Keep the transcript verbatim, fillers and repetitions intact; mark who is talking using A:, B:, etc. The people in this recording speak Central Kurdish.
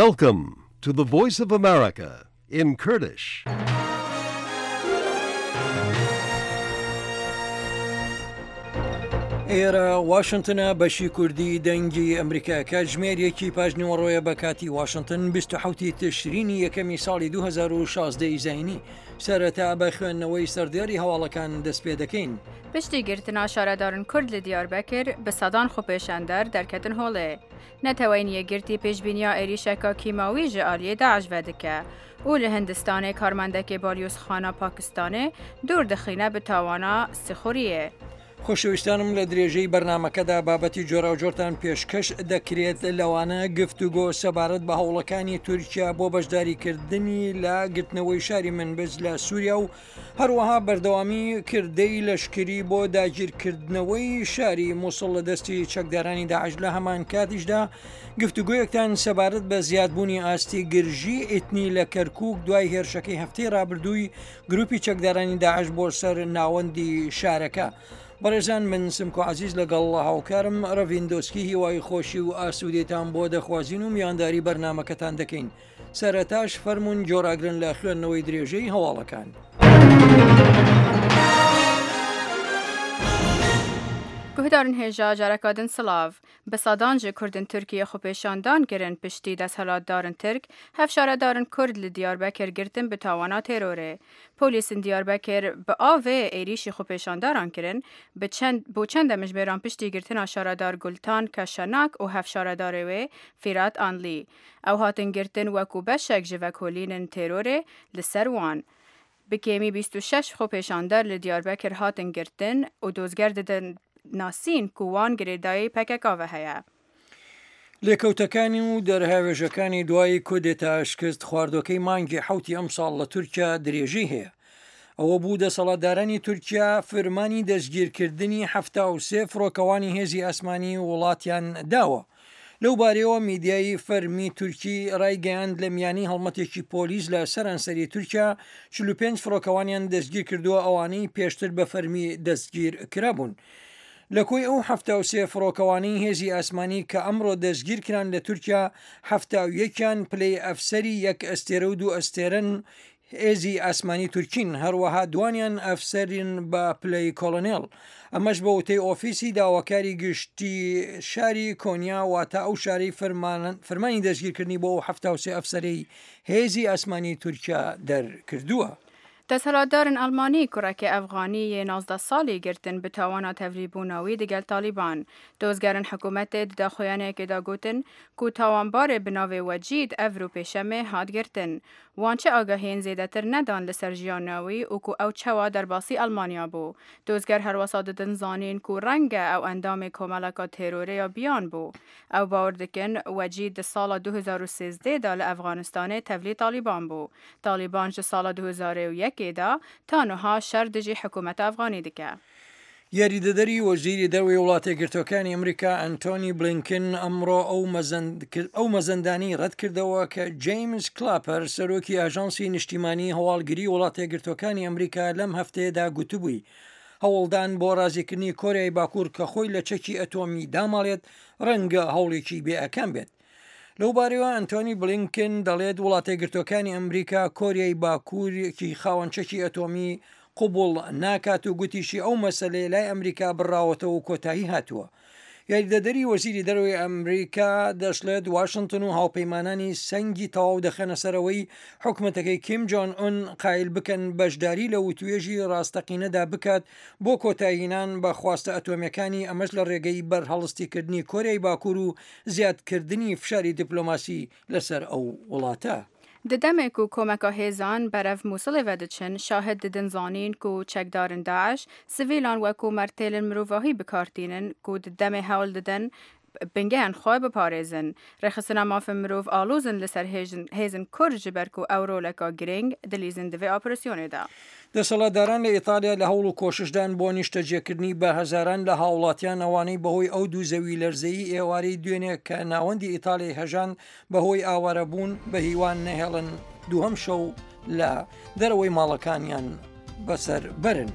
A: Welcome to the Voice of America in Kurdish.
B: ئێرە واشنتنە بەشی کوردی دەنگی ئەمریکا کاتژمێر یەکی پاش نیوەڕۆیە بە کاتی واشنتن بیست و حەوت ی تشرینی یەکەمی ساڵی دوو هەزار و شازدە ی زایینی. سەرەتا بە خوێندنەوەی سەردێڕی هەواڵەکان دەست پێ دەکەین.
C: پشتی گرتنا شارەدارن کورد لە دیاربەکر bi sedan xwepêşander derketin holê. Neteweyên Yekgirtî pêşbîniya êrîşeka kîmawî ji aliyê Daeş ve dike û li Hindistanê karmendekê balyozxana Pakistanê dûr dixîne bi tawana sixuriyê.
B: خۆشەویستانم لە درێژەی بەرنامەکەدا بابەتی جۆراوجۆرتان پێشکەش دەکرێت، لەوانە گفتوگۆ سەبارەت بە هەوڵەکانی تورکیا بۆ بەشداریکردنی لە گرتنەوەی شاری منبج لە سووریا و هەروەها بەردەوامی کردەی لەشکری بۆ داگیرکردنەوەی شاری موسڵ لە دەستی چەکدارانی داعش. لە هەمان کاتیشدا گفتوگۆیەکتان سەبارەت بە زیادبوونی ئاستی گرژی ئیتنی لە کەرکوک دوای هێرشەکەی هەفتەی ڕابردووی گروپی چەکدارانی داعش بۆ سەر ناوەندی شارەکە. بەڕێزان من سمکۆ عەزیز لەگەڵ هاوکارم ڕەڤین دۆسکی هیوای خۆشی و ئاسوودێتان بۆ دەخوازین و میوانداری بەرنامەکەتان دەکەین. سەرەتاش فەرمونون جۆراگرن لە خوێندنەوەی درێژەی هەواڵەکان.
C: گوهدارن هێژا جارەکادن سلاv. Bi sedan ji Kurdên Tirkiye xwepêşandan kirin piştî desthilatdarên Tirk, hevşaredarên Kurd li Diyarbekir girtin bi tawana terorê. Polîsên Diyarbekir bi avê êrîşî xwepêşandaran kirin, bi çend, bo çend demjimêran piştî girtina şaredar Gultan Keşenak û hevşaredarê wê Firat Anlî. Ew hatin girtin wekû beşek ji vekolînên terorê li ser wan. Bi kêmî bîst û şeş xwepêşander li Diyarbekir hatin girtin û dozger didin ناسین ku wan girêdayî P K K ve heye.
B: لێکەوتەکانی و دەرهاوێژەکانی دوای کودێتا شکست خواردۆکەی مانگی حەوتی ئەمساڵ لە تورکیا درێژەی هەیە. ئەوە بوو دەسەڵاتدارانی تورکیا فرمانی دەستگیرکردنی حەفتا و سێ فڕۆکەوانی هێزی ئاسمانی وڵاتیان داوە. لەو بارەیەوە میدیایی فەرمی تورکی ڕایگەیاند لە میانی هەڵمەتێکی پۆلیس لە سەرانسەری تورکیا چل و پێنج فڕۆکەوانیان دەستگیر کردووە، ئەوانەی پێشتر بە فەرمی دەستگیر کرابوون. لە کۆی ئەو حەفتا و سێ فڕۆکەوانەی هێزی ئاسمانی کە ئەمڕۆ دەستگیر کران لە تورکیا، حەفتا و یەکیان پلەی ئەفسەری یەک ئەستێرە و دوو ئەستێرەن هێزی ئاسمانی تورکین، هەروەها دوانیان ئەفسەرین بە پلەی کۆلۆنێل. ئەمەش بە وتەی ئۆفیسی داواکاری گشتی شاری کۆنیا، واتە ئەو شارەی فەرمانی دەستگیرکردنی بۆ ئەو حەفتا و سێ ئەفسەرەی هێزی ئاسمانی تورکیا دەرکردووە.
C: دەسەڵاتدارن ئەڵمانی کوڕێکی ئەفغانی یê نازدە ساڵی girtin bi tawana tevlîbûna wî digel Talîban. Dozgerên hikûmetê di daxuyaniyekê de gotin ku tawanbarê bi navê Wecîd ev rû pêşemê hat girtin. Wan çi agahiyên zêdetir nedan li ser jiyana wî û ku ew çawa derbasî Almanya bû. Dozger herwesa didin zanîn ku renge ew endamê komeleka terorê ya biyan bû. Ew bawer dikin Wecîd di sala du hezar û sêzdeh de li Efxanistanê tevlî Talîban bû. Talîban ji sala du hezar û yekê da ta niha şer dijî hikûmeta Efxanî dike.
B: یاریدەدەری وەزیری دەرەوەی وڵاتە یەکگرتووەکانی ئەمریکا ئەنتۆنی بلینکن ئەمڕۆ ئەو مەزەندانی ڕەتکردەوە کە جەیمز کلاپەر سەرۆکی ئاژانسی نیشتیمانی هەواڵگری وڵاتە یەکگرتووەکانی ئەمریکا لەم هەفتەیەدا گوتبووی هەوڵدان بۆ ڕازیکردنی کۆریای باکوور کە خۆی لە چەکی ئەتۆمی داماڵێت ڕەنگە هەوڵێکی بێئەکەم بێت. لەو بارەیەوە ئەنتۆنی بلینکن دەڵێت وڵاتە یەکگرتووەکانی ئەمریکا کۆریای باکوورێکی خاوەن چەکی ئەتۆمی قبوڵ ناکات و گوتیشی ئەو مەسەلەیە لای ئەمریکا بڕاوەتەوە و کۆتایی هاتووە. یاریدەدەری وەزیری دەرەوەی ئەمریکا دەشڵێت واشنگتن و هاوپەیمانانی سەنگی تەواو دەخەنە سەرەوەی حکومەتەکەی کیم جۆن ئون قایل بکەن بەشداری لە وتوێژی ڕاستەقینەدا بکات بۆ کۆتاییهێنان بە خواستە ئەتۆمیەکانی، ئەمەش لە ڕێگەی بەرهەڵستیکردنی کۆریای باکوور و زیادکردنی فشاری دیپلۆماسی لەسەر ئەو وڵاتە.
C: Di demê ku komeka hêzan berev Mûsilê ve diçin, şahid didin zanîn ku çekdarên Daeş sivîlan wekû mertêlên mirovahî bikartînin ku di demê hewl didin bingehên xwe biparêzin. Rêxistina mafên mirov alozin li ser hêzên Kurd ji ber ku ew roleka giring dilîzin di vê operasyonê de.
B: دەسەڵاتداران لە ئیتالیا لە هەوڵ و کۆششدان بۆ نیشتەجێکردنی بە هەزاران لە هاوڵاتیان ئەوانەی بەهۆی ئەو دوو زەوی لەرزەیی ئێوارەی دوێنێ کە ناوەندی ئیتالیای هەژان بەهۆی ئاوارەبوون بە هیوان نەهێڵن دووهەم شەو لە دەرەوەی ماڵەکانیان بەسەر بەرن.